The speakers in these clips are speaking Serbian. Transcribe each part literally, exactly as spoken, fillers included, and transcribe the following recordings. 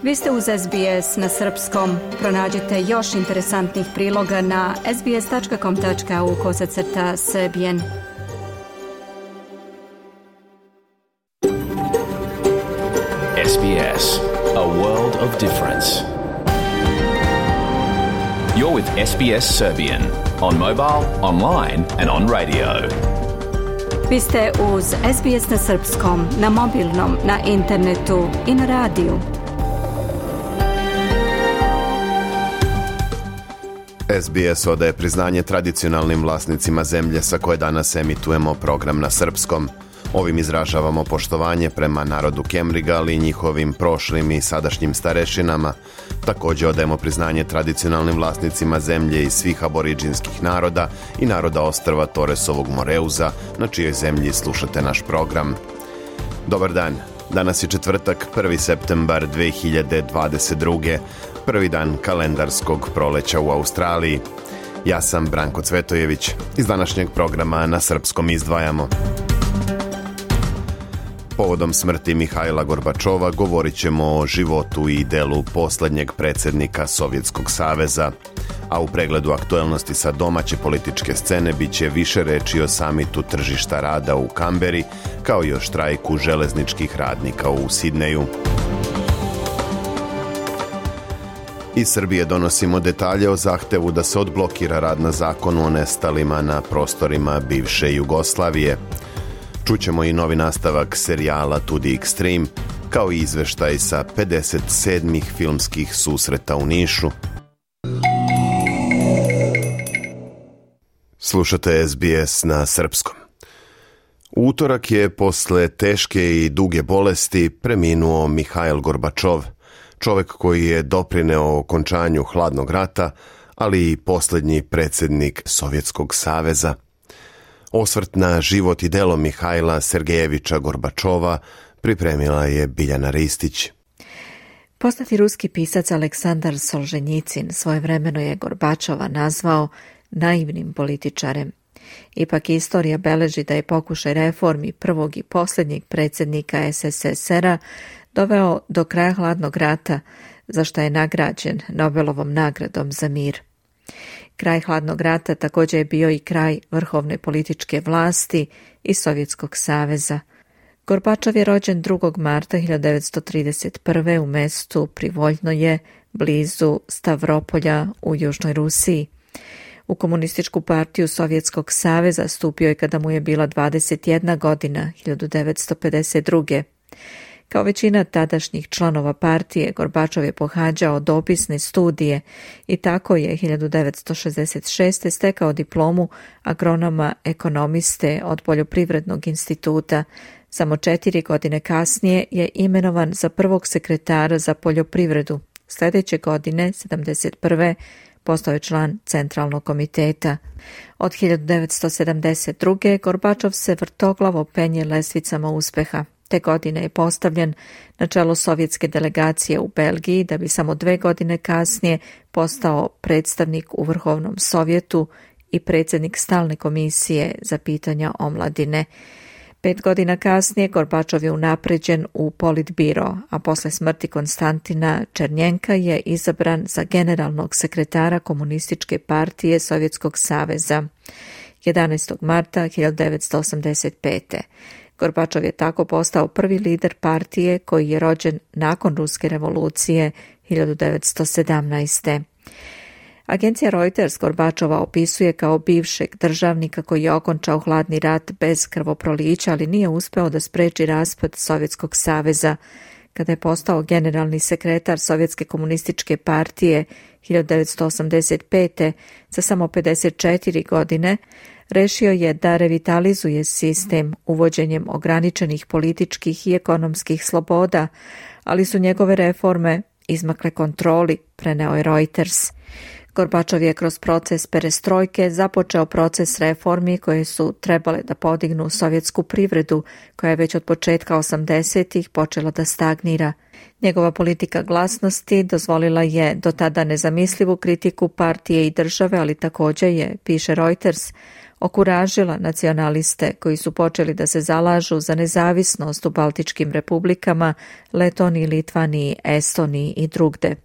Vi ste uz S B S na srpskom. Pronađite još interesantnih priloga na sbs.com.au kosacrta srbijen. S B S, a world of difference. You're with S B S Serbian on mobile, online and on radio. Vi ste uz S B S na srpskom, na mobilnom, na internetu i na radiju. S B S odaje priznanje tradicionalnim vlasnicima zemlje sa koje danas emitujemo program na srpskom. Ovim izražavamo poštovanje prema narodu Kemriga, ali i njihovim prošlim i sadašnjim starešinama. Također odajemo priznanje tradicionalnim vlasnicima zemlje i svih aboriđinskih naroda i naroda ostrva Toresovog Moreuza, na čijoj zemlji slušate naš program. Dobar dan, danas je četvrtak, prvi septembar dve hiljade dvadeset druge. prvi dan kalendarskog proleća u Australiji. Ja sam Branko Cvetojević. Iz današnjeg programa na srpskom izdvajamo. Povodom smrti Mihajla Gorbačova govorit ćemo o životu i delu posljednjeg predsjednika Sovjetskog saveza, a u pregledu aktuelnosti sa domaće političke scene bit će više reči o samitu tržišta rada u Kamberi, kao i o štrajku železničkih radnika u Sidneju. Iz Srbije donosimo detalje o zahtevu da se odblokira rad na zakonu o nestalima na prostorima bivše Jugoslavije. Čućemo i novi nastavak serijala To the Extreme, kao i izveštaj sa pedeset sedmih filmskih susreta u Nišu. Slušate S B S na srpskom. U utorak je posle teške i duge bolesti preminuo Mihajl Gorbačov, čovjek koji je doprineo okončanju hladnog rata, ali i posljednji predsjednik Sovjetskog saveza. Osvrt na život i delo Mihajla Sergejevića Gorbačova pripremila je Biljana Ristić. Poznati ruski pisac Aleksandar Solženjicin svojevremeno je Gorbačova nazvao naivnim političarem. Ipak istorija beleži da je pokušaj reformi prvog i posljednjeg predsjednika S S S R-a doveo do kraja hladnog rata, za što je nagrađen Nobelovom nagradom za mir. Kraj hladnog rata također je bio i kraj vrhovne političke vlasti i Sovjetskog saveza. Gorbačov je rođen drugog marta hiljadu devetsto trideset prve. u mestu Privoljnoje, blizu Stavropolja u Južnoj Rusiji. U komunističku partiju Sovjetskog saveza stupio je kada mu je bila dvadeset jedna godina, hiljadu devetsto pedeset druge. Kao većina tadašnjih članova partije, Gorbačov je pohađao dopisne studije i tako je hiljadu devetsto šezdeset šeste. stekao diplomu agronoma ekonomiste od Poljoprivrednog instituta. Samo četiri godine kasnije je imenovan za prvog sekretara za poljoprivredu. Sljedeće godine, sedamdeset prve. postao je član Centralnog komiteta. Od hiljadu devetsto sedamdeset druge. Gorbačov se vrtoglavo penje lestvicama uspeha. Te godine je postavljen na čelo sovjetske delegacije u Belgiji, da bi samo dve godine kasnije postao predstavnik u Vrhovnom sovjetu i predsjednik stalne komisije za pitanja omladine. Pet godina kasnije Gorbačov je unapređen u Politbiro, a posle smrti Konstantina Černjenka je izabran za generalnog sekretara Komunističke partije Sovjetskog saveza jedanaestog marta hiljadu devetsto osamdeset pete. Gorbačov je tako postao prvi lider partije koji je rođen nakon Ruske revolucije hiljadu devetsto sedamnaeste. Agencija Reuters Gorbačova opisuje kao bivšeg državnika koji je okončao hladni rat bez krvoprolića, ali nije uspeo da spreči raspad Sovjetskog saveza. Kada je postao generalni sekretar Sovjetske komunističke partije hiljadu devetsto osamdeset pete. za samo pedeset četiri godine, rešio je da revitalizuje sistem uvođenjem ograničenih političkih i ekonomskih sloboda, ali su njegove reforme izmakle kontroli, preneo je Reuters. Gorbačov je kroz proces perestrojke započeo proces reformi koje su trebale da podignu sovjetsku privredu, koja je već od početka osamdesetih počela da stagnira. Njegova politika glasnosti dozvolila je do tada nezamislivu kritiku partije i države, ali također je, piše Reuters, okuražila nacionaliste koji su počeli da se zalažu za nezavisnost u Baltičkim republikama, Letoniji, Litvaniji, Estoniji i drugde.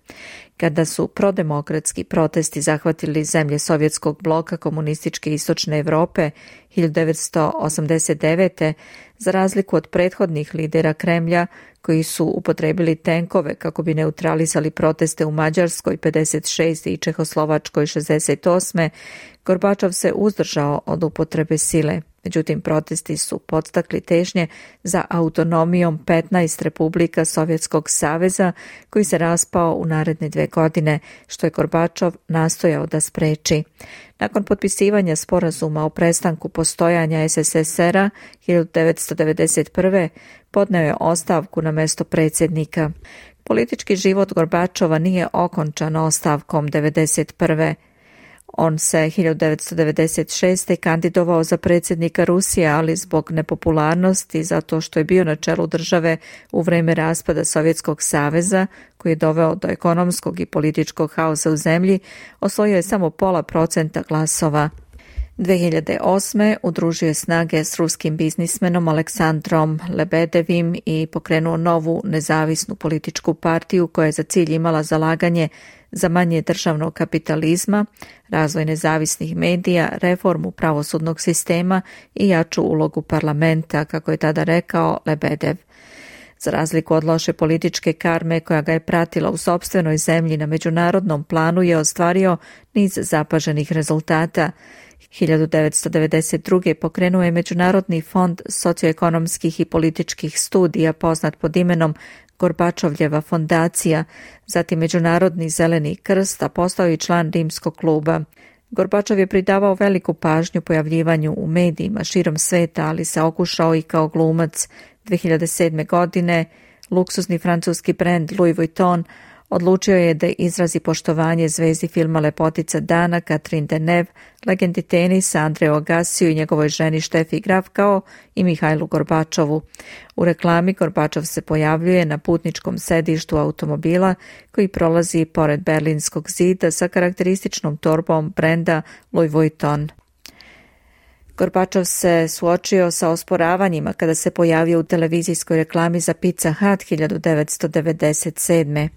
Kada su prodemokratski protesti zahvatili zemlje sovjetskog bloka komunističke istočne Evrope hiljadu devetsto osamdeset devete. za razliku od prethodnih lidera Kremlja koji su upotrebili tenkove kako bi neutralisali proteste u Mađarskoj pedeset šeste i Čehoslovačkoj šezdeset osme. Gorbačov se uzdržao od upotrebe sile. Međutim, protesti su podstakli težnje za autonomijom petnaest republika Sovjetskog saveza koji se raspao u naredne dve godine, što je Gorbačov nastojao da spreči. Nakon potpisivanja sporazuma o prestanku postojanja es es es er-a hiljadu devetsto devedeset prve. podneo je ostavku na mesto predsjednika. Politički život Gorbačova nije okončan ostavkom devedeset prve. On se hiljadu devetsto devedeset šeste. kandidovao za predsjednika Rusije, ali zbog nepopularnosti, zato što je bio na čelu države u vreme raspada Sovjetskog saveza, koji je doveo do ekonomskog i političkog haosa u zemlji, osvojio je samo pola procenta glasova. dve hiljade osme. udružio je snage s ruskim biznismenom Aleksandrom Lebedevim i pokrenuo novu nezavisnu političku partiju koja je za cilj imala zalaganje za manje državnog kapitalizma, razvoj nezavisnih medija, reformu pravosudnog sistema i jaču ulogu parlamenta, kako je tada rekao Lebedev. Za razliku od loše političke karme koja ga je pratila u sopstvenoj zemlji, na međunarodnom planu je ostvario niz zapaženih rezultata. hiljadu devetsto devedeset druge. pokrenuo je Međunarodni fond socioekonomskih i političkih studija poznat pod imenom Gorbačovljeva fondacija, zatim Međunarodni zeleni krst, a postao i član Rimskog kluba. Gorbačov je pridavao veliku pažnju pojavljivanju u medijima širom sveta, ali se okušao i kao glumac. dve hiljade sedme. godine luksuzni francuski brend Louis Vuitton odlučio je da izrazi poštovanje zvezdi filma Lepotica dana Catherine Deneuve, legendi tenisa Andreu Agassiju i njegovoj ženi Štefi Graf, kao i Mihajlu Gorbačovu. U reklami Gorbačov se pojavljuje na putničkom sedištu automobila koji prolazi pored Berlinskog zida sa karakterističnom torbom brenda Louis Vuitton. Gorbačov se suočio sa osporavanjima kada se pojavio u televizijskoj reklami za Pizza Hut hiljadu devetsto devedeset sedme.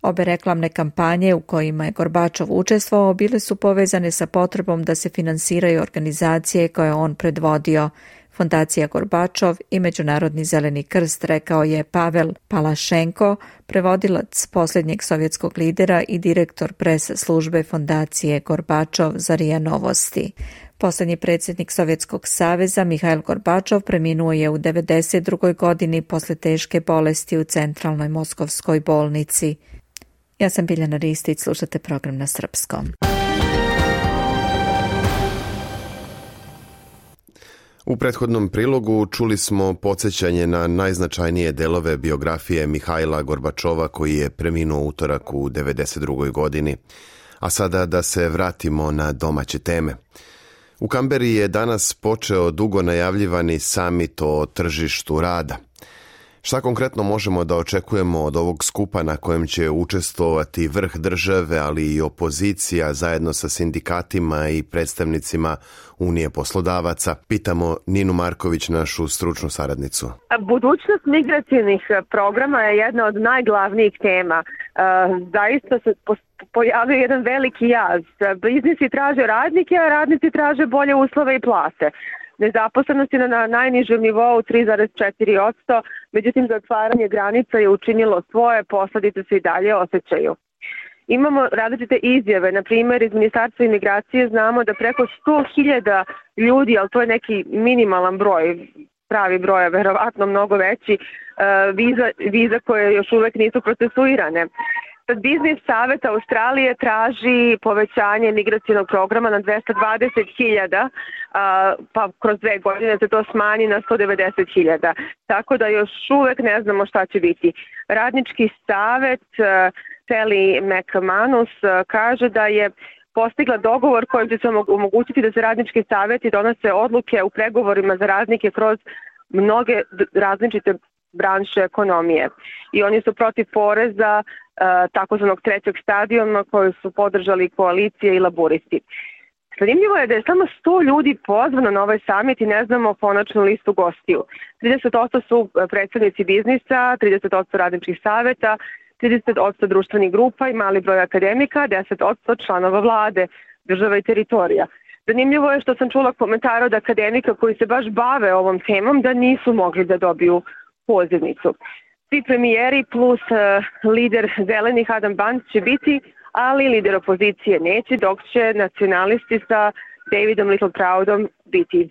Obe reklamne kampanje u kojima je Gorbačov učestvovao bile su povezane sa potrebom da se finansiraju organizacije koje on predvodio. Fondacija Gorbačov i Međunarodni zeleni krst, rekao je Pavel Palašenko, prevodilac posljednjeg sovjetskog lidera i direktor pres službe fondacije Gorbačov za R I A Novosti. Posljednji predsjednik Sovjetskog saveza Mihajl Gorbačov preminuo je u devedeset drugoj. godini posle teške bolesti u centralnoj moskovskoj bolnici. Ja sam Biljana Ristić, slušate program na srpskom. U prethodnom prilogu čuli smo podsjećanje na najznačajnije delove biografije Mihajla Gorbačova koji je preminuo utorak u devedeset drugoj. godini. A sada da se vratimo na domaće teme. U Kamberi je danas počeo dugo najavljivani samit o tržištu rada. Šta konkretno možemo da očekujemo od ovog skupa na kojem će učestvovati vrh države, ali i opozicija zajedno sa sindikatima i predstavnicima Unije poslodavaca? Pitamo Ninu Marković, našu stručnu saradnicu. Budućnost migracijnih programa je jedna od najglavnijih tema. Zaista se pojavio jedan veliki jaz. Biznisi traže radnike, a radnici traže bolje uslove i plate. Nezaposlenost je na najnižem nivou tri zarez četiri posto, međutim zatvaranje granica je učinilo svoje, posljedice se i dalje osjećaju. Imamo različite izjave, na primjer iz Ministarstva imigracije znamo da preko sto hiljada ljudi, ali to je neki minimalan broj, pravi broj je verovatno mnogo veći, viza, viza koje još uvek nisu procesuirane. Sad Biznis Savet Australije traži povećanje migracijnog programa na dvesta dvadeset hiljada, pa kroz dve godine se to smanji na sto devedeset hiljada. Tako da još uvek ne znamo šta će biti. Radnički savet Sally McManus kaže da je postigla dogovor kojim će se omogućiti da se radnički saveti donose odluke u pregovorima za radnike kroz mnoge različite branše ekonomije. I oni su protiv poreza takozvanog trećeg stadijuma koji su podržali koalicije i laburisti. Zanimljivo je da je samo sto ljudi pozvano na ovaj samit i ne znamo konačnu listu gostiju. trideset posto su predstavnici biznisa, trideset posto radničkih saveta, trideset posto društvenih grupa i mali broj akademika, deset posto članova vlade, država i teritorija. Zanimljivo je što sam čula komentar od akademika koji se baš bave ovom temom da nisu mogli da dobiju pozivnicu. Svi premijeri plus uh, lider zelenih Adam Bandt će biti, ali lider opozicije neće, dok će nacionalisti sa Davidom Littleproudom biti.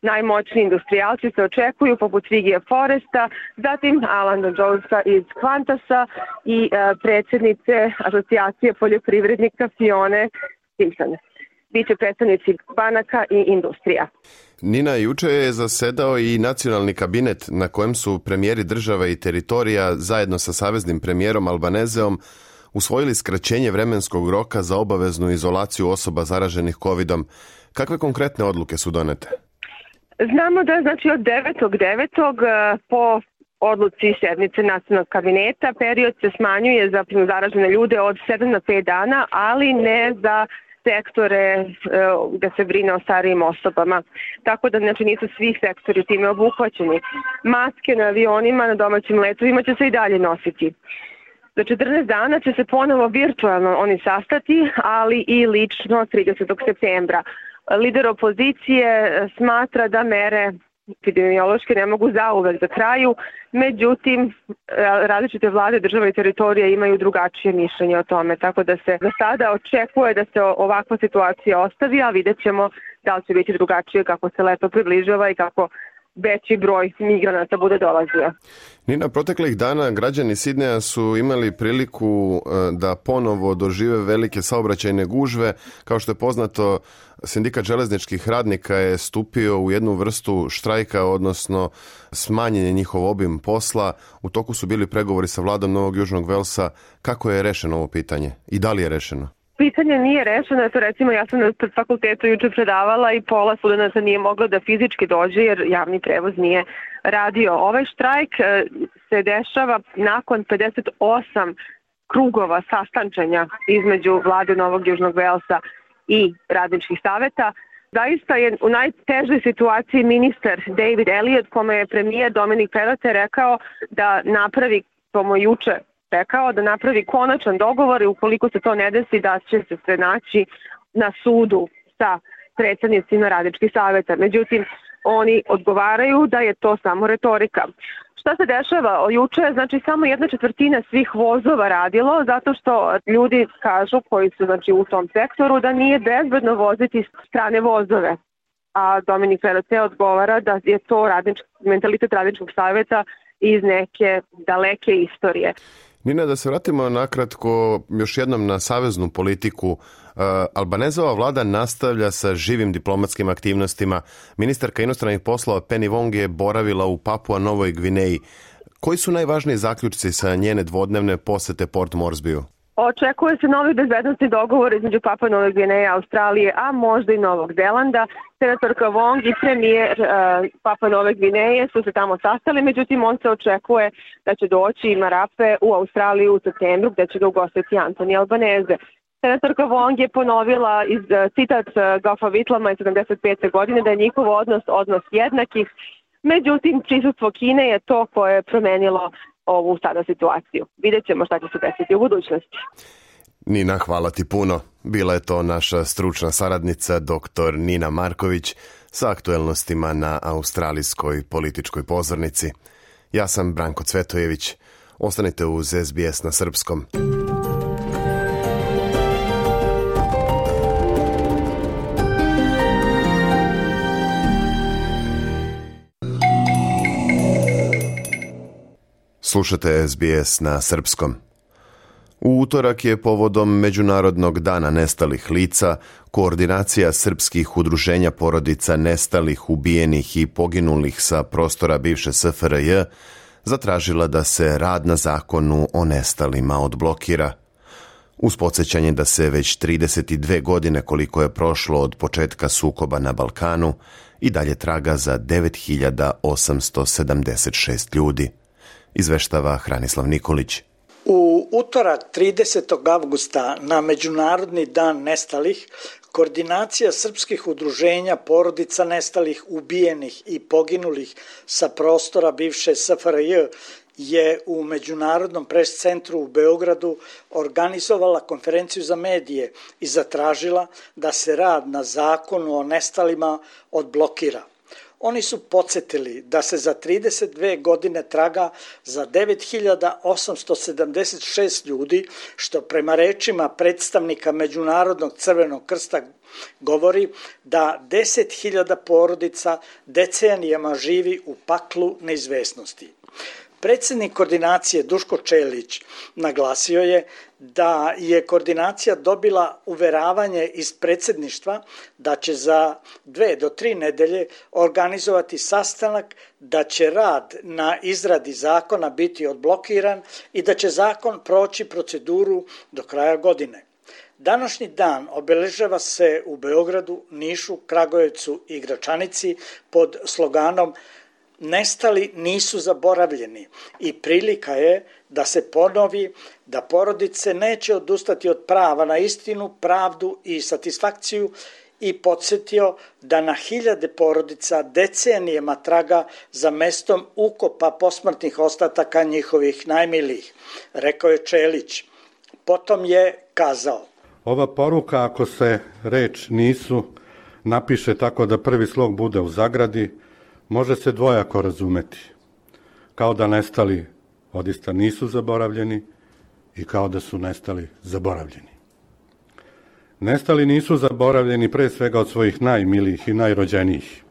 Najmoćniji industrijalci se očekuju poput Vigija Foresta, zatim Alana Jonesa iz Qantasa i uh, predsjednice asocijacije poljoprivrednika Fione Simpson. Biće predstavnici banaka i industrija. Nina, juče je zasedao i nacionalni kabinet na kojem su premijeri država i teritorija zajedno sa saveznim premijerom Albanezeom usvojili skraćenje vremenskog roka za obaveznu izolaciju osoba zaraženih kovidom. Kakve konkretne odluke su donete? Znamo da znači od devetog devetog po odluci sednice nacionalnog kabineta period se smanjuje za zaražene ljude od sedam na pet dana, ali ne za sektore gde se brine o starijim osobama. Tako da znači, nisu svi sektori time obuhvaćeni. Maske na avionima, na domaćim letovima će se i dalje nositi. Za četrnaest dana će se ponovo virtualno oni sastati, ali i lično tridesetog septembra. Lider opozicije smatra da mere epidemiološke ne mogu zauvek za kraju, međutim različite vlade, države i teritorije imaju drugačije mišljenje o tome, tako da se za sada očekuje da se ovakva situacija ostavi, a vidjet ćemo da li će biti drugačije kako se leto približava i kako veći broj migranata bude dolazio. Nina, proteklih dana građani Sidneja su imali priliku da ponovo dožive velike saobraćajne gužve. Kao što je poznato, sindikat železničkih radnika je stupio u jednu vrstu štrajka, odnosno smanjenje njihov obim posla. U toku su bili pregovori sa vladom Novog Južnog Velsa. Kako je rešeno ovo pitanje i da li je rešeno? Pitanje nije rešeno, to recimo ja sam na fakultetu juče predavala i pola studenata nije moglo da fizički dođe jer javni prevoz nije radio. Ovaj štrajk se dešava nakon pedeset osam krugova sastančanja između vlade Novog Južnog Velsa i radničkih saveta. Zaista je u najtežoj situaciji ministar David Elliott, kome je premijer Dominik Perrottet rekao da napravi, to mu juče rekao, da napravi konačan dogovor i ukoliko se to ne desi da će se sve naći na sudu sa predstavnicima radničkih saveta. Međutim, oni odgovaraju da je to samo retorika. Šta se dešava? Juče je znači samo jedna četvrtina svih vozova radilo zato što ljudi kažu koji su znači u tom sektoru da nije bezbedno voziti strane vozove. A Dominik Perrottet odgovara da je to radnički, mentalitet radničkog saveta iz neke daleke istorije. Nina, da se vratimo nakratko još jednom na saveznu politiku. Uh, Albanezova vlada nastavlja sa živim diplomatskim aktivnostima. Ministarka inostranih poslova Penny Wong je boravila u Papua Novoj Gvineji. Koji su najvažniji zaključci sa njene dvodnevne posete Port Moresbyu? Očekuje se novi bezbednosni dogovor između Papua Nove Gvineje, Australije, a možda i Novog Zelanda. Senatorka Wong i premijer uh, Papua Nove Gvineje su se tamo sastali, međutim on se očekuje da će doći i Marape u Australiju u septembru gde će ga ugostiti Anthony Albanese. Senatorka Wong je ponovila iz uh, citat uh, Goffa Whitlama iz sedamdeset pete godine da je njihov odnos odnos jednakih, međutim prisustvo Kine je to koje je promenilo ovu sada situaciju. Vidjet ćemo šta će se desiti u budućnosti. Nina, hvala ti puno. Bila je to naša stručna saradnica doktor Nina Marković sa aktuelnostima na australijskoj političkoj pozornici. Ja sam Branko Cvetojević. Ostanite uz S B S na srpskom. Slušate S B S na srpskom. U utorak je povodom Međunarodnog dana nestalih lica koordinacija srpskih udruženja porodica nestalih, ubijenih i poginulih sa prostora bivše S F R J zatražila da se rad na zakonu o nestalima odblokira. Uz podsjećanje da se već trideset dve godine koliko je prošlo od početka sukoba na Balkanu i dalje traga za devet hiljada osamsto sedamdeset šest ljudi. Izveštava Hranislav Nikolić. U utorak tridesetog avgusta na Međunarodni dan nestalih, Koordinacija srpskih udruženja porodica nestalih, ubijenih i poginulih sa prostora bivše S F R J je u Međunarodnom pres centru u Beogradu organizovala konferenciju za medije i zatražila da se rad na zakonu o nestalima odblokira. Oni su podsjetili da se za trideset dve godine traga za devet hiljada osamsto sedamdeset šest ljudi, što prema rečima predstavnika Međunarodnog crvenog krsta govori da deset hiljada porodica decenijama živi u paklu neizvesnosti. Predsjednik koordinacije Duško Čelić naglasio je da je koordinacija dobila uveravanje iz predsjedništva da će za dve do tri nedelje organizovati sastanak, da će rad na izradi zakona biti odblokiran i da će zakon proći proceduru do kraja godine. Današnji dan obeležava se u Beogradu, Nišu, Kragujevcu i Gračanici pod sloganom Nestali nisu zaboravljeni i prilika je da se ponovi da porodice neće odustati od prava na istinu, pravdu i satisfakciju i podsjetio da na hiljade porodica decenijama traga za mestom ukopa posmrtnih ostataka njihovih najmilijih, rekao je Čelić. Potom je kazao: Ova poruka, ako se reč nisu napiše tako da prvi slog bude u zagradi, može se dvojako razumeti, kao da nestali odista nisu zaboravljeni i kao da su nestali zaboravljeni. Nestali nisu zaboravljeni pre svega od svojih najmilijih i najrođenijih,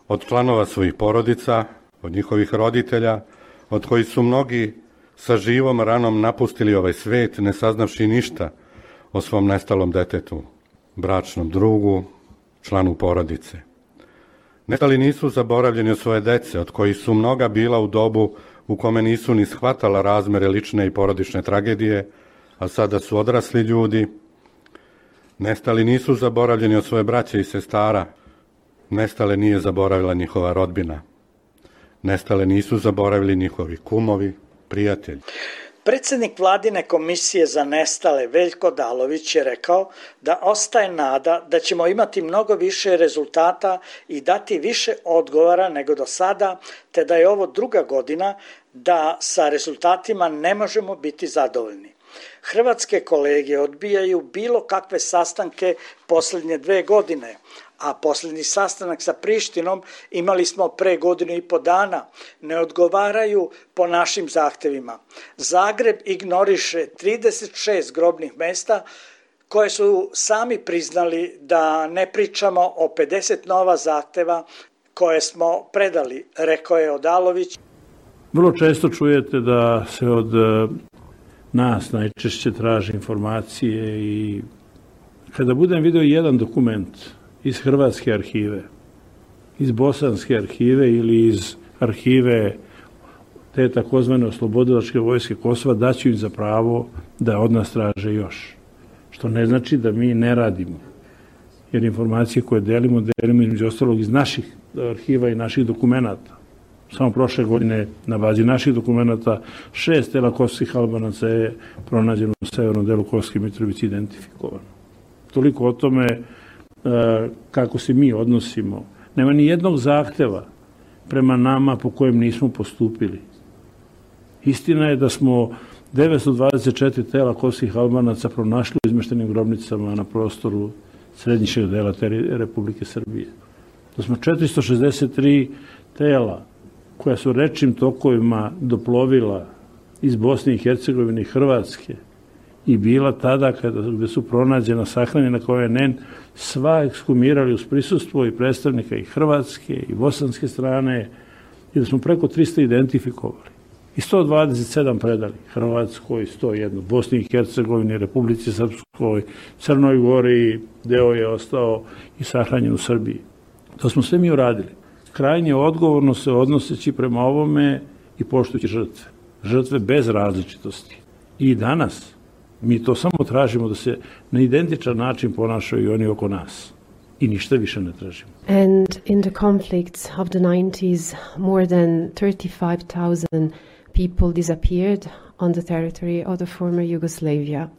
od članova svojih porodica, od njihovih roditelja, od kojih su mnogi sa živom ranom napustili ovaj svet, ne saznavši ništa o svom nestalom detetu, bračnom drugu, članu porodice. Nestali nisu zaboravljeni od svoje dece, od kojih su mnoga bila u dobu u kome nisu ni shvatala razmere lične i porodične tragedije, a sada su odrasli ljudi. Nestali nisu zaboravljeni od svoje braće i sestara. Nestale nije zaboravila njihova rodbina. Nestale nisu zaboravili njihovi kumovi, prijatelji. Predsjednik Vladine komisije za nestale Veljko Dalović je rekao da ostaje nada da ćemo imati mnogo više rezultata i dati više odgovora nego do sada, te da je ovo druga godina da sa rezultatima ne možemo biti zadovoljni. Hrvatske kolege odbijaju bilo kakve sastanke posljednje dve godine, a posljednji sastanak sa Prištinom imali smo pre godinu i po dana, ne odgovaraju po našim zahtevima. Zagreb ignoriše trideset šest grobnih mesta koje su sami priznali da ne pričamo o pedeset nova zahteva koje smo predali, rekao je Odalović. Vrlo često čujete da se od nas najčešće traži informacije i kada budem video jedan dokument iz hrvatske arhive, iz bosanske arhive ili iz arhive te takozvane oslobodilačke vojske Kosova, daću im za pravo da od nas traže još. Što ne znači da mi ne radimo. Jer informacije koje delimo, delimo između ostalog iz naših arhiva i naših dokumenata. Samo prošle godine na bazi naših dokumenata šest tela kosovskih Albanaca je pronađeno u severnom delu Kosovske Mitrovice identifikovano. Toliko o tome kako se mi odnosimo. Nema ni jednog zahteva prema nama po kojem nismo postupili. Istina je da smo devetsto dvadeset četiri tela kosovskih Albanaca pronašli u izmeštenim grobnicama na prostoru središnjeg dela Republike Srbije. Da smo četiristo šezdeset tri tela koja su rečnim tokovima doplovila iz Bosne i Hercegovine i Hrvatske i bila tada kada gde su pronađena, sahranjena kao je nen, sva ekshumirali uz prisustvo i predstavnika i Hrvatske i bosanske strane i da smo preko trista identifikovali. I sto dvadeset sedam predali Hrvatskoj, sto jedan Bosni i Hercegovini, Republici Srpskoj, Crnoj Gori, deo je ostao i sahranjen u Srbiji. To smo sve mi uradili. Krajnje odgovorno se odnoseći prema ovome i poštujući žrtve. Žrtve bez različitosti. I danas mi to samo tražimo da se na identičan način ponašaju i oni oko nas. i ništa više ne tražimo. And in the conflicts of the nineties, more than thirty-five thousand people disappeared on the territory of the former Yugoslavia.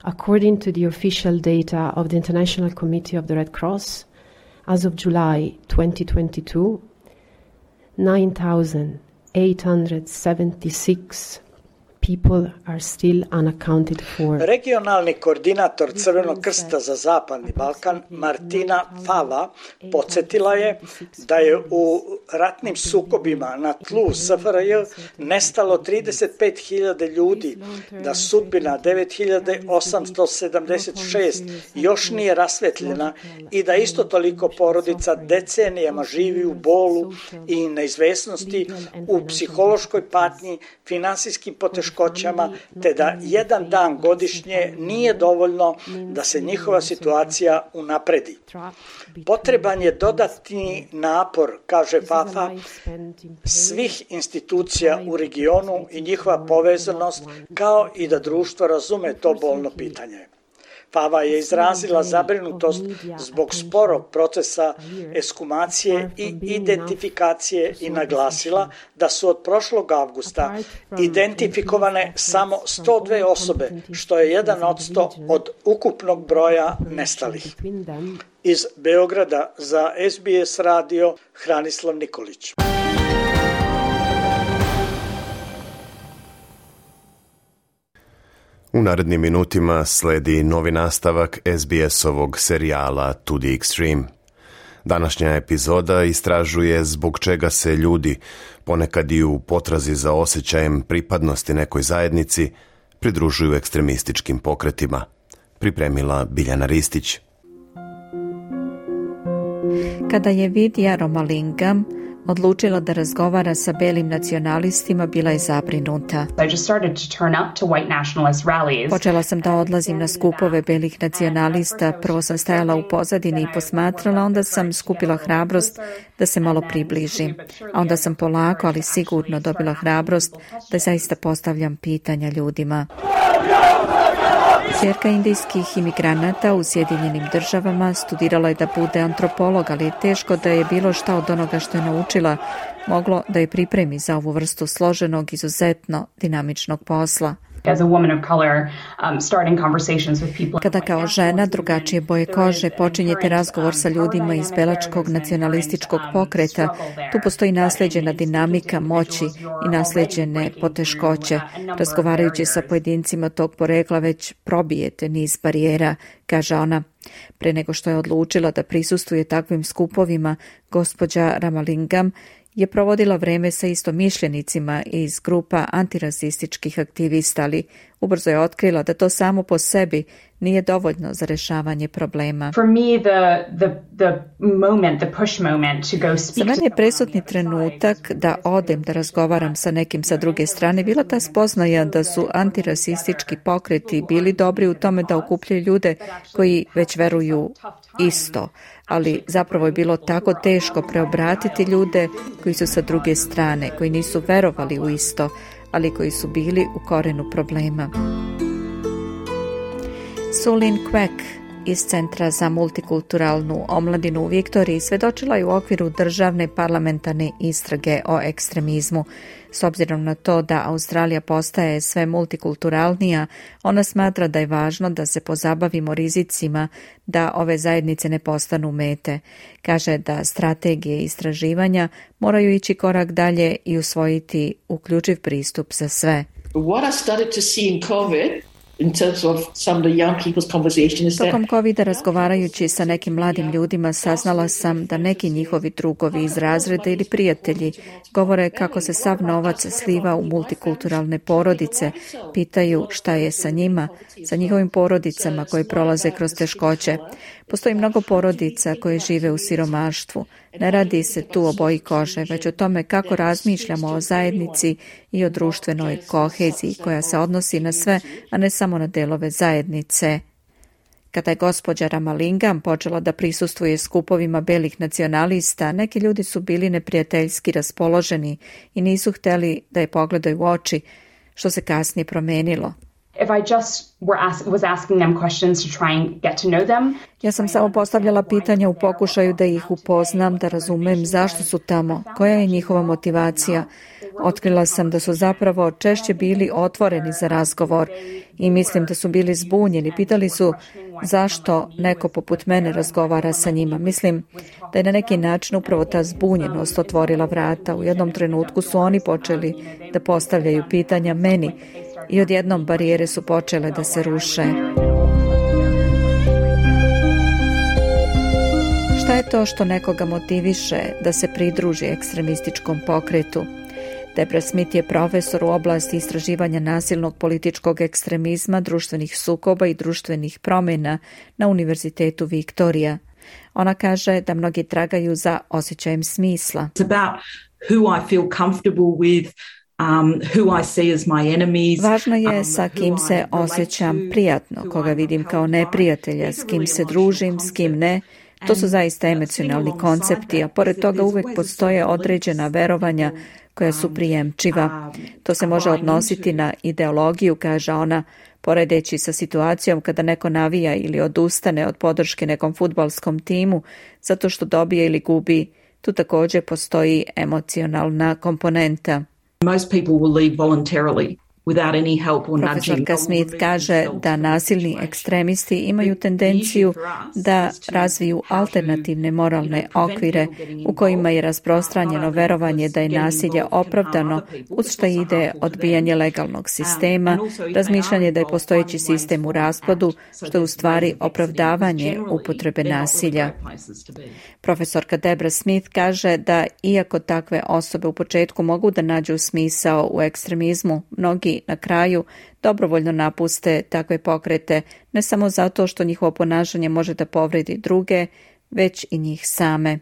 According to the official data of the International Committee of the Red Cross, as of July twenty twenty-two, nine thousand eight hundred seventy-six people are still unaccounted for. Regionalni koordinator Crvenog krsta za Zapadni Balkan, Martina Fava, podsjetila je da je u ratnim sukobima na tlu S F R J nestalo trideset pet hiljada ljudi, da sudbina devet hiljada osamsto sedamdeset šest još nije rasvetljena i da isto toliko porodica decenijama živi u bolu i neizvesnosti, u psihološkoj patnji, finansijskim poteškoćama, te da jedan dan godišnje nije dovoljno da se njihova situacija unapredi. Potreban je dodatni napor, kaže Fafa, svih institucija u regionu i njihova povezanost, kao i da društvo razume to bolno pitanje. Fava je izrazila zabrinutost zbog sporog procesa ekshumacije i identifikacije i naglasila da su od prošlog avgusta identifikovane samo sto dve osobe, što je jedan odsto od ukupnog broja nestalih. Iz Beograda za S B S radio Hranislav Nikolić. U narednim minutima sledi novi nastavak S B S-ovog serijala To the Extreme. Današnja epizoda istražuje zbog čega se ljudi, ponekad i u potrazi za osjećajem pripadnosti nekoj zajednici, pridružuju ekstremističkim pokretima. Pripremila Biljana Ristić. Kada je Vidya Ramalingam odlučila da razgovara sa belim nacionalistima, bila je zabrinuta. Počela sam da odlazim na skupove belih nacionalista, prvo sam stajala u pozadini i posmatrala, onda sam skupila hrabrost da se malo približim. A onda sam polako, ali sigurno dobila hrabrost da zaista postavljam pitanja ljudima. Ćerka indijskih imigranata u Sjedinjenim državama studirala je da bude antropolog, ali je teško da je bilo šta od onoga što je naučila moglo da je pripremi za ovu vrstu složenog, izuzetno dinamičnog posla. Kada kao žena drugačije boje kože počinjete razgovor sa ljudima iz belačkog nacionalističkog pokreta, tu postoji naslijeđena dinamika moći i naslijeđene poteškoće. Razgovarajući sa pojedincima tog porekla već probijete niz barijera, kaže ona. Pre nego što je odlučila da prisustvuje takvim skupovima, gospođa Ramalingam je provodila vreme sa istomišljenicima iz grupa antirasističkih aktivista, ali ubrzo je otkrila da to samo po sebi nije dovoljno za rešavanje problema. Za mene je presudni trenutak da odem da razgovaram sa nekim sa druge strane bila ta spoznaja da su antirasistički pokreti bili dobri u tome da okupljaju ljude koji već veruju isto, ali zapravo je bilo tako teško preobratiti ljude koji su sa druge strane, koji nisu verovali u isto, ali koji su bili u korenu problema. Sulin Quek iz Centra za multikulturalnu omladinu u Viktoriji svedočila je u okviru državne parlamentarne istrage o ekstremizmu. S obzirom na to da Australija postaje sve multikulturalnija, ona smatra da je važno da se pozabavimo rizicima da ove zajednice ne postanu mete. Kaže da strategije istraživanja moraju ići korak dalje i usvojiti uključiv pristup za sve. What I started to see in COVID in terms of some of the young people's conversations. Tokom covida razgovarajući sa nekim mladim ljudima saznala sam da neki njihovi drugovi iz razreda ili prijatelji govore kako se sav novac sliva u multikulturalne porodice, pitaju šta je sa njima, sa njihovim porodicama koje prolaze kroz teškoće. Postoji mnogo porodica koje žive u siromaštvu. Ne radi se tu o boji kože, već o tome kako razmišljamo o zajednici i o društvenoj koheziji koja se odnosi na sve, a ne samo na delove zajednice. Kada je gospođa Ramalingam počela da prisustvuje skupovima belih nacionalista, neki ljudi su bili neprijateljski raspoloženi i nisu hteli da je pogledaju u oči, što se kasnije promenilo. If I just were ask, was asking them questions to try and get to know them. Ja sam samo postavljala pitanja u pokušaju da ih upoznam, da razumem zašto su tamo, koja je njihova motivacija. Otkrila sam da su zapravo češće bili otvoreni za razgovor i mislim da su bili zbunjeni. Pitali su zašto neko poput mene razgovara sa njima. Mislim da je na neki način upravo ta zbunjenost otvorila vrata. U jednom trenutku su oni počeli da postavljaju pitanja meni i odjednom barijere su počele da se ruše. Šta je to što nekoga motiviše da se pridruži ekstremističkom pokretu? Debra Smith je profesor u oblasti istraživanja nasilnog političkog ekstremizma, društvenih sukoba i društvenih promjena na Univerzitetu Viktorija. Ona kaže da mnogi tragaju za osjećajem smisla. It's about who I feel comfortable with. Um, who I see as my enemies. Važno je sa kim se osjećam prijatno, koga vidim kao neprijatelja, s kim se družim, s kim ne. To su zaista emocionalni koncepti, a pored toga uvijek postoje određena verovanja koja su prijemčiva. To se može odnositi na ideologiju, kaže ona, poredeći sa situacijom kada neko navija ili odustane od podrške nekom fudbalskom timu zato što dobije ili gubi. Tu također postoji emocionalna komponenta. Most people will leave voluntarily without any help or nudging. Profesorka Smith kaže da nasilni ekstremisti imaju tendenciju da razviju alternativne moralne okvire u kojima je rasprostranjeno verovanje da je nasilje opravdano, uz što ide odbijanje legalnog sistema, razmišljanje da je postojeći sistem u raspadu, što je u stvari opravdavanje upotrebe nasilja. Profesorka Debra Smith kaže da iako takve osobe u početku mogu da nađu smisao u ekstremizmu, mnogi na kraju dobrovoljno napuste takve pokrete, ne samo zato što njihovo ponašanje može da povredi druge, već i njih same.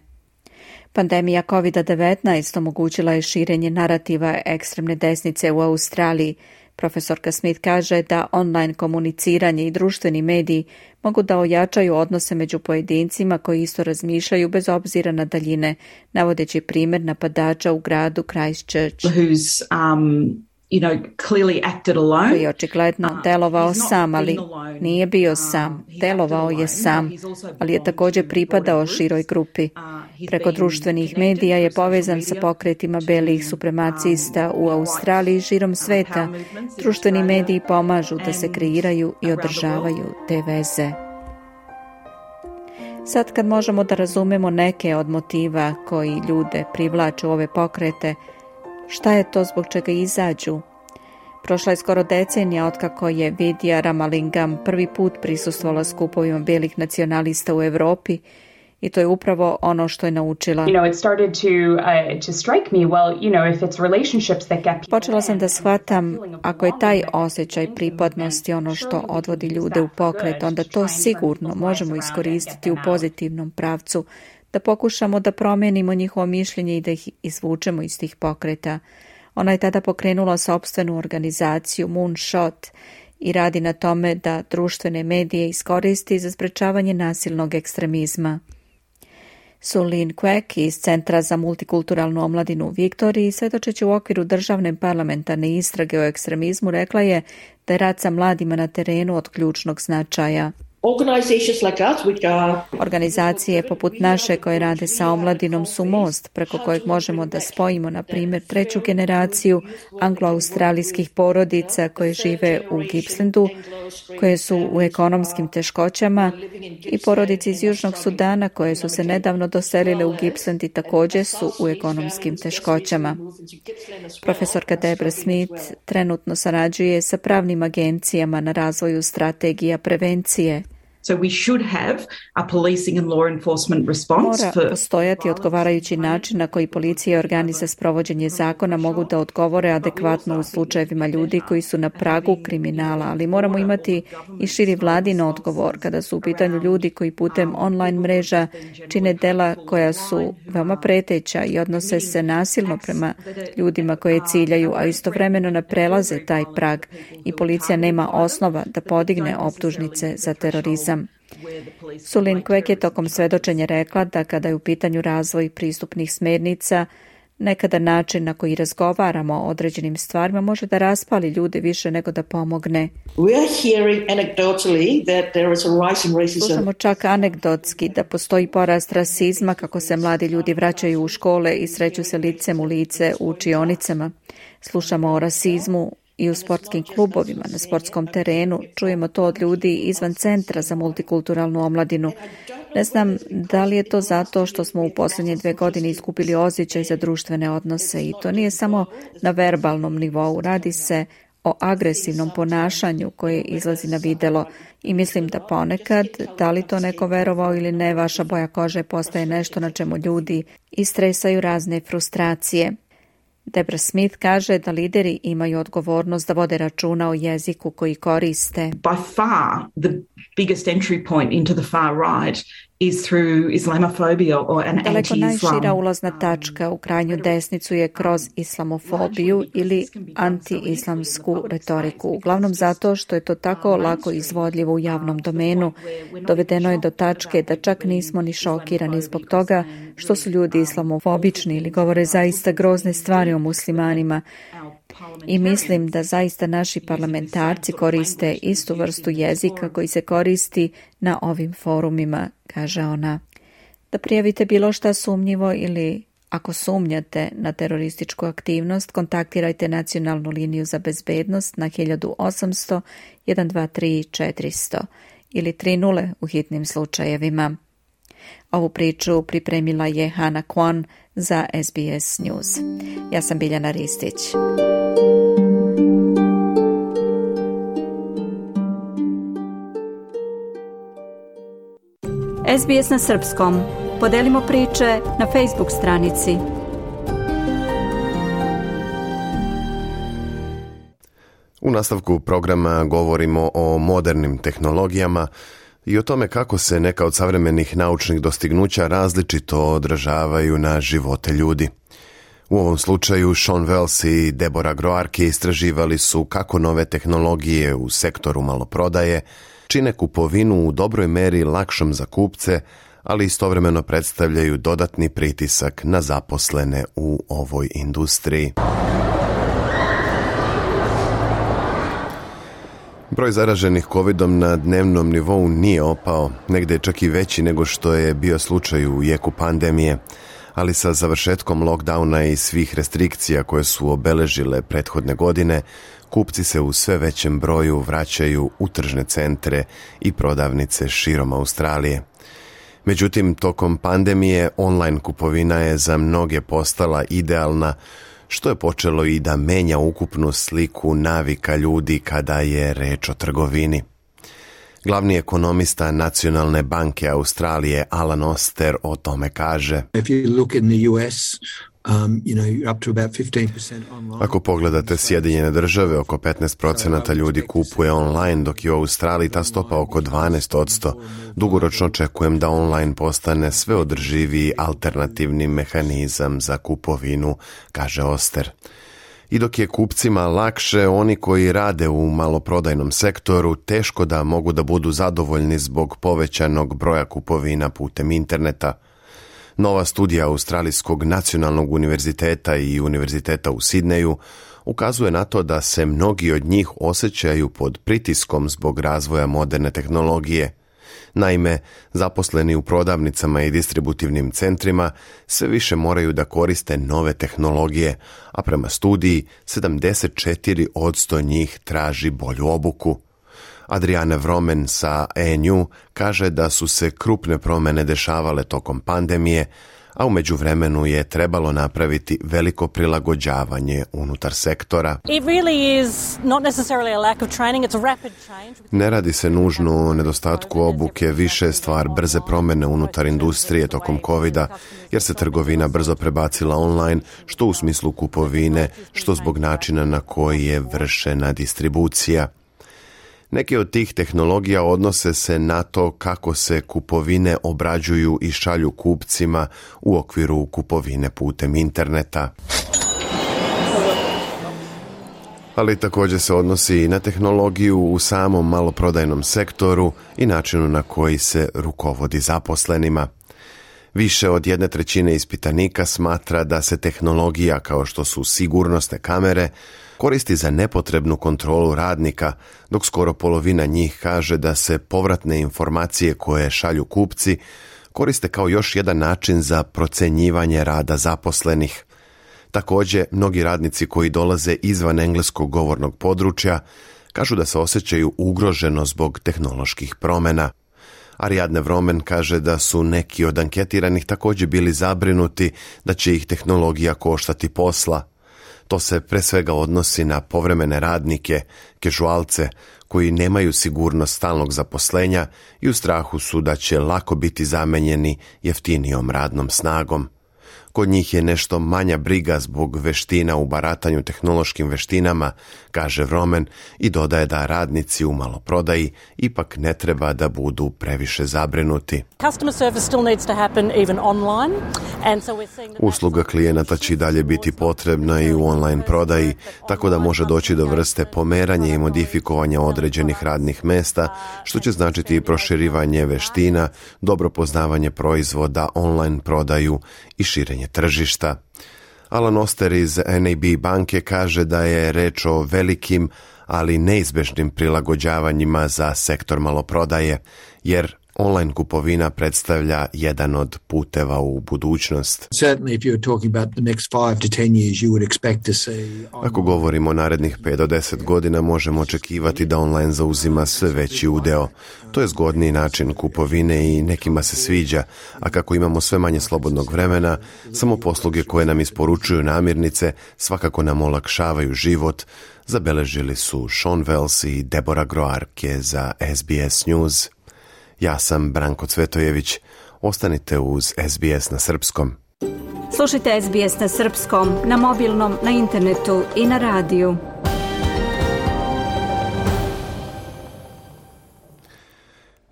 Pandemija kovid devetnaest omogućila je širenje narativa ekstremne desnice u Australiji. Profesorka Smith kaže da online komuniciranje i društveni mediji mogu da ojačaju odnose među pojedincima koji isto razmišljaju bez obzira na daljine, navodeći primjer napadača u gradu Christchurch. Who's, um... You know, clearly acted alone. Koji je očigledno delovao sam, ali nije bio sam. Delovao je sam, ali je također pripadao široj grupi. Preko društvenih medija je povezan sa pokretima belih supremacista u Australiji i širom sveta. Društveni mediji pomažu da se kreiraju i održavaju te veze. Sad kad možemo da razumemo neke od motiva koji ljude privlače u ove pokrete, šta je to zbog čega izađu? Prošla je skoro decenija otkako je Vidya Ramalingam prvi put prisustvovala skupovima belih nacionalista u Europi i to je upravo ono što je naučila. You know, it started to uh, to strike me, well, you know, if it's relationships that get people. Počela sam da shvatam, ako je taj osjećaj pripadnosti ono što odvodi ljude u pokret, onda to sigurno možemo iskoristiti u pozitivnom pravcu, da pokušamo da promijenimo njihovo mišljenje i da ih izvučemo iz tih pokreta. Ona je tada pokrenula sopstvenu organizaciju Moonshot i radi na tome da društvene medije iskoristi za sprečavanje nasilnog ekstremizma. Sulin Quek iz Centra za multikulturalnu omladinu u Viktoriji, svedočeći u okviru državne parlamentarne istrage o ekstremizmu, rekla je da je rad sa mladima na terenu od ključnog značaja. Organizacije poput naše koje rade sa omladinom su most preko kojeg možemo da spojimo, na primjer, treću generaciju anglo-australijskih porodica koje žive u Gippslandu, koje su u ekonomskim teškoćama, i porodice iz Južnog Sudana koje su se nedavno doselile u Gippsland i također su u ekonomskim teškoćama. Profesorka Debra Smith trenutno sarađuje sa pravnim agencijama na razvoju strategija prevencije. So we should have a policing and law enforcement response. Mora postojati odgovarajući način na koji policija i organi za sprovođenje zakona mogu da odgovore adekvatno u slučajevima ljudi koji su na pragu kriminala, ali moramo imati i širi vladin odgovor kada su u pitanju ljudi koji putem online mreža čine dela koja su veoma preteća i odnose se nasilno prema ljudima koje ciljaju, a istovremeno ne prelaze taj prag i policija nema osnova da podigne optužnice za terorizam. Sulin Quek je tokom svedočenja rekla da kada je u pitanju razvoj pristupnih smernica, Nekada način na koji razgovaramo o određenim stvarima može da raspali ljude više nego da pomogne. We are hearing anecdotally that there is a rise in racism. Slušamo čak anegdotski da postoji porast rasizma, kako se mladi ljudi vraćaju u škole i sreću se licem u lice u učionicama. Slušamo o rasizmu i u sportskim klubovima, na sportskom terenu. Čujemo to od ljudi izvan centra za multikulturalnu omladinu. Ne znam da li je to zato što smo u posljednje dve godine izgubili osjećaj za društvene odnose i to nije samo na verbalnom nivou. Radi se o agresivnom ponašanju koje izlazi na videlo i mislim da ponekad, da li to neko verovao ili ne, vaša boja kože postaje nešto na čemu ljudi istresaju razne frustracije. Debra Smith kaže da lideri imaju odgovornost da vode računa o jeziku koji koriste. By far the biggest entry point into the far right is through Islamophobia or an Daleko anti-Islam. najšira ulazna tačka u krajnju desnicu je kroz islamofobiju ili anti-islamsku retoriku. Uglavnom zato što je to tako lako izvodljivo u javnom domenu. Dovedeno je do tačke da čak nismo ni šokirani zbog toga što su ljudi islamofobični ili govore zaista grozne stvari o muslimanima. I mislim da zaista naši parlamentarci koriste istu vrstu jezika koji se koristi na ovim forumima, kaže ona. Da prijavite bilo šta sumnjivo ili ako sumnjate na terorističku aktivnost, kontaktirajte nacionalnu liniju za bezbednost na hiljadu osamsto jedan dva tri četiristo ili tri nula u hitnim slučajevima. Ovu priču pripremila je Hana Kwon za S B S News. Ja sam Biljana Ristić. S B S na srpskom. Podelimo priče na Facebook stranici. U nastavku programa govorimo o modernim tehnologijama i o tome kako se neka od savremenih naučnih dostignuća različito odražavaju na živote ljudi. U ovom slučaju Sean Wells i Deborah Groarke istraživali su kako nove tehnologije u sektoru maloprodaje čine kupovinu u dobroj meri lakšom za kupce, ali istovremeno predstavljaju dodatni pritisak na zaposlene u ovoj industriji. Broj zaraženih kovidom na dnevnom nivou nije opao, negdje je čak i veći nego što je bio slučaj u jeku pandemije, ali sa završetkom lockdowna i svih restrikcija koje su obeležile prethodne godine, kupci se u sve većem broju vraćaju u tržne centre i prodavnice širom Australije. Međutim, tokom pandemije online kupovina je za mnoge postala idealna, što je počelo i da menja ukupnu sliku navika ljudi kada je reč o trgovini. Glavni ekonomista Nacionalne banke Australije Alan Oster o tome kaže: Ako pogledate Sjedinjene države, oko petnaest procenata ljudi kupuje online, dok je u Australiji ta stopa oko dvanaest posto. Dugoročno očekujem da online postane sve održiviji alternativni mehanizam za kupovinu, kaže Oster. I dok je kupcima lakše, oni koji rade u maloprodajnom sektoru teško da mogu da budu zadovoljni zbog povećanog broja kupovina putem interneta. Nova studija Australijskog nacionalnog univerziteta i univerziteta u Sidneju ukazuje na to da se mnogi od njih osjećaju pod pritiskom zbog razvoja moderne tehnologije. Naime, zaposleni u prodavnicama i distributivnim centrima sve više moraju da koriste nove tehnologije, a prema studiji sedamdeset četiri posto njih traži bolju obuku. Adriana Vromen sa E N U kaže da su se krupne promjene dešavale tokom pandemije, a u međuvremenu je trebalo napraviti veliko prilagođavanje unutar sektora. Ne radi se nužno o nedostatku obuke, više je stvar brze promjene unutar industrije tokom covida, jer se trgovina brzo prebacila online, što u smislu kupovine, što zbog načina na koji je vršena distribucija. Neke od tih tehnologija odnose se na to kako se kupovine obrađuju i šalju kupcima u okviru kupovine putem interneta. Ali također se odnosi i na tehnologiju u samom maloprodajnom sektoru i načinu na koji se rukovodi zaposlenima. Više od jedne trećine ispitanika smatra da se tehnologija kao što su sigurnosne kamere koristi za nepotrebnu kontrolu radnika, dok skoro polovina njih kaže da se povratne informacije koje šalju kupci koriste kao još jedan način za procenjivanje rada zaposlenih. Također, mnogi radnici koji dolaze izvan engleskog govornog područja kažu da se osjećaju ugroženo zbog tehnoloških promjena. Ariadne Vromen kaže da su neki od anketiranih također bili zabrinuti da će ih tehnologija koštati posla. To se pre svega odnosi na povremene radnike, kežualce, koji nemaju sigurnost stalnog zaposlenja i u strahu su da će lako biti zamenjeni jeftinijom radnom snagom. Kod njih je nešto manja briga zbog veština u baratanju tehnološkim veštinama, kaže Vromen, i dodaje da radnici u maloprodaji ipak ne treba da budu previše zabrinuti. Usluga klijenata će i dalje biti potrebna i u online prodaji, tako da može doći do vrste pomeranja i modifikovanja određenih radnih mesta, što će značiti i proširivanje veština, dobro poznavanje proizvoda, online prodaju i širenje tržišta. Alan Oster iz N A B banke kaže da je reč o velikim, ali neizbežnim prilagođavanjima za sektor maloprodaje, jer online kupovina predstavlja jedan od puteva u budućnost. Ako govorimo o narednih pet do deset godina, možemo očekivati da online zauzima sve veći udeo. To je zgodniji način kupovine i nekima se sviđa, a kako imamo sve manje slobodnog vremena, samo posluge koje nam isporučuju namirnice svakako nam olakšavaju život, zabeležili su Sean Wells i Deborah Groarke za S B S News. Ja sam Branko Cvetojević. Ostanite uz S B S na srpskom. Slušajte S B S na srpskom, na mobilnom, na internetu i na radiju.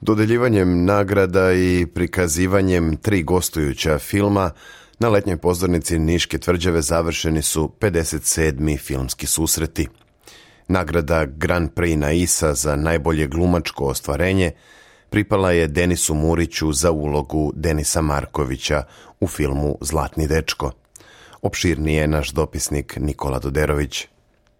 Dodeljivanjem nagrada i prikazivanjem tri gostujuća filma na letnjoj pozornici Niške tvrđave završeni su pedeset sedmi filmski susreti. Nagrada Grand Prix Naisa za najbolje glumačko ostvarenje pripala je Denisu Muriću za ulogu Denisa Markovića u filmu Zlatni dečko. Opširnije je naš dopisnik Nikola Doderović.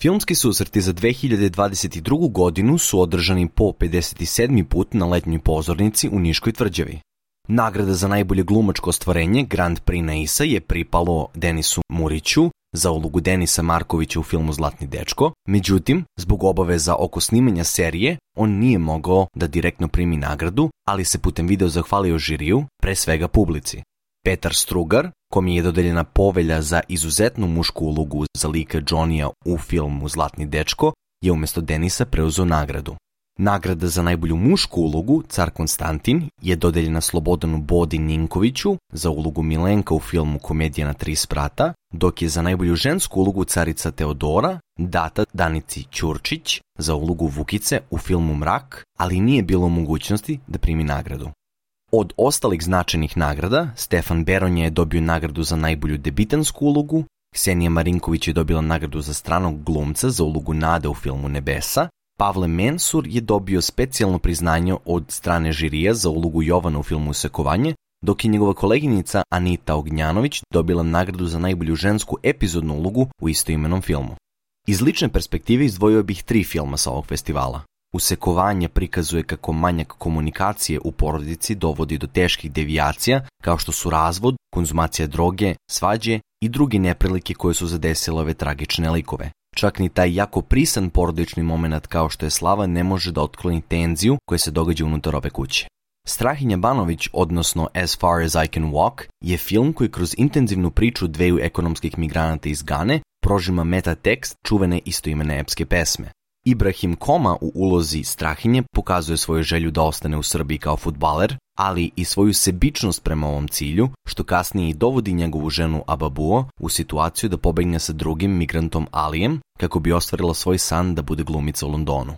Filmski susreti za dve hiljade dvadeset drugu. godinu su održani po pedeset sedmi put na letnjoj pozornici u Niškoj tvrđavi. Nagrada za najbolje glumačko ostvarenje Grand Prix Naisa je pripalo Denisu Muriću za ulogu Denisa Markovića u filmu Zlatni dečko, međutim, zbog obaveza oko snimanja serije, on nije mogao da direktno primi nagradu, ali se putem video zahvalio žiriju, pre svega publici. Petar Strugar, kom je dodeljena povelja za izuzetnu mušku ulogu za lika Johnnyja u filmu Zlatni dečko, je umjesto Denisa preuzeo nagradu. Nagrada za najbolju mušku ulogu, Car Konstantin, je dodeljena Slobodanu Bodi Ninkoviću za ulogu Milenka u filmu Komedija na tri sprata, dok je za najbolju žensku ulogu Carica Teodora data Danici Ćurčić za ulogu Vukice u filmu Mrak, ali nije bilo mogućnosti da primi nagradu. Od ostalih značajnih nagrada, Stefan Beronja je dobio nagradu za najbolju debitansku ulogu, Ksenija Marinković je dobila nagradu za stranog glumca za ulogu Nade u filmu Nebesa, Pavle Mensur je dobio specijalno priznanje od strane žirija za ulogu Jovana u filmu Usekovanje, dok je njegova koleginica Anita Ognjanović dobila nagradu za najbolju žensku epizodnu ulogu u istoimenom filmu. Iz lične perspektive izdvojio bih tri filma sa ovog festivala. Usekovanje prikazuje kako manjak komunikacije u porodici dovodi do teških devijacija, kao što su razvod, konzumacija droge, svađe i druge neprilike koje su zadesile ove tragične likove. Čak ni taj jako prisan porodični moment kao što je slava ne može da otkloni tenziju koja se događa unutar ove kuće. Strahinja Banović, odnosno As Far As I Can Walk, je film koji kroz intenzivnu priču dveju ekonomskih migranata iz Gane prožima metatekst čuvene istoimene epske pesme. Ibrahim Koma u ulozi Strahinje pokazuje svoju želju da ostane u Srbiji kao fudbaler, ali i svoju sebičnost prema ovom cilju, što kasnije i dovodi njegovu ženu Ababuo u situaciju da pobegne sa drugim migrantom Alijem kako bi ostvarila svoj san da bude glumica u Londonu.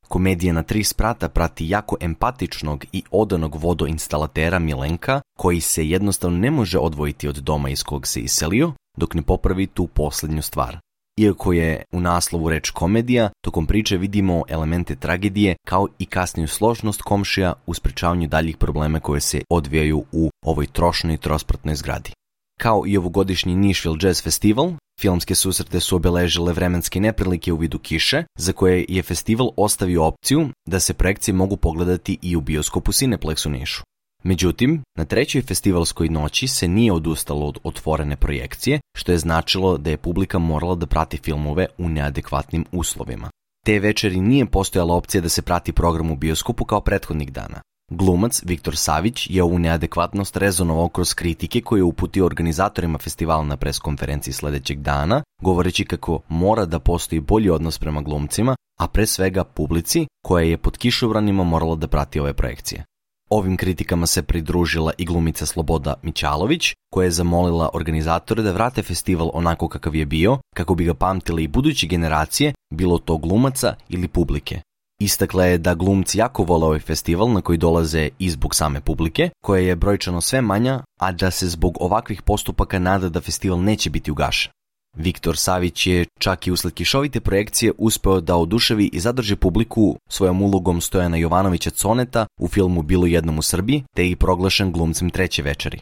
Komedija na tri sprata prati jako empatičnog i odanog vodoinstalatera Milenka, koji se jednostavno ne može odvojiti od doma iz kog se iselio, dok ne popravi tu posljednju stvar. Iako je u naslovu reč komedija, tokom priče vidimo elemente tragedije kao i kasniju složnost komšija u sprečavanju daljih problema koje se odvijaju u ovoj trošnoj i trospratnoj zgradi. Kao i ovogodišnji Nashville Jazz Festival, filmske susrete su obeležile vremenske neprilike u vidu kiše, za koje je festival ostavio opciju da se projekcije mogu pogledati i u bioskopu Cineplex u Nišu. Međutim, na trećoj festivalskoj noći se nije odustalo od otvorene projekcije, što je značilo da je publika morala da prati filmove u neadekvatnim uslovima. Te večeri nije postojala opcija da se prati program u bioskopu kao prethodnih dana. Glumac Viktor Savić je ovu neadekvatnost rezonovao kroz kritike koje je uputio organizatorima festivala na preskonferenciji sledećeg dana, govoreći kako mora da postoji bolji odnos prema glumcima, a pre svega publici koja je pod kišobranima morala da prati ove projekcije. Ovim kritikama se pridružila i glumica Sloboda Mićalović, koja je zamolila organizatore da vrate festival onako kakav je bio, kako bi ga pamtile i buduće generacije, bilo to glumaca ili publike. Istakla je da glumci jako vole ovaj festival na koji dolaze i zbog same publike, koja je brojčano sve manja, a da se zbog ovakvih postupaka nada da festival neće biti ugašen. Viktor Savić je čak i usled kišovite projekcije uspeo da oduševi i zadrži publiku svojom ulogom Stojana Jovanovića Coneta u filmu Bilo jednom u Srbiji, te je i proglašen glumcem treće večeri.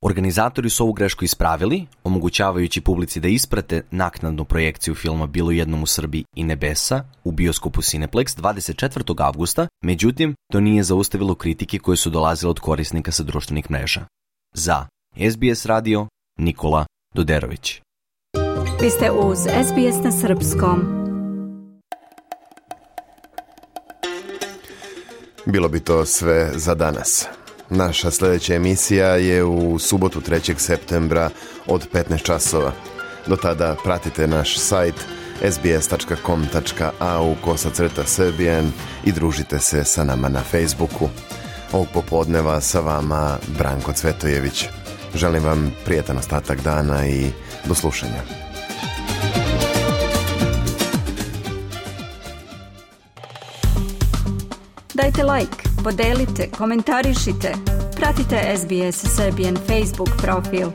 Organizatori su ovu grešku ispravili, omogućavajući publici da isprate naknadnu projekciju filma Bilo jednom u Srbiji i Nebesa u bioskopu Cineplex dvadeset četvrtog avgusta, međutim, to nije zaustavilo kritike koje su dolazile od korisnika sa društvenih mreža. Za S B S radio, Nikola Doderović. Vi ste uz S B S na srpskom. Bilo bi to sve za danas. Naša sljedeća emisija je u subotu trećeg septembra od petnaest časova. Do tada pratite naš sajt s b s tačka com tačka a u kosacrta Serbian i družite se sa nama na Facebooku. Ovog popodneva sa vama Branko Cvetojević. Želim vam prijetan ostatak dana i do slušanja. Dajte like, podelite, komentarišite. Pratite S B S Serbian Facebook profil.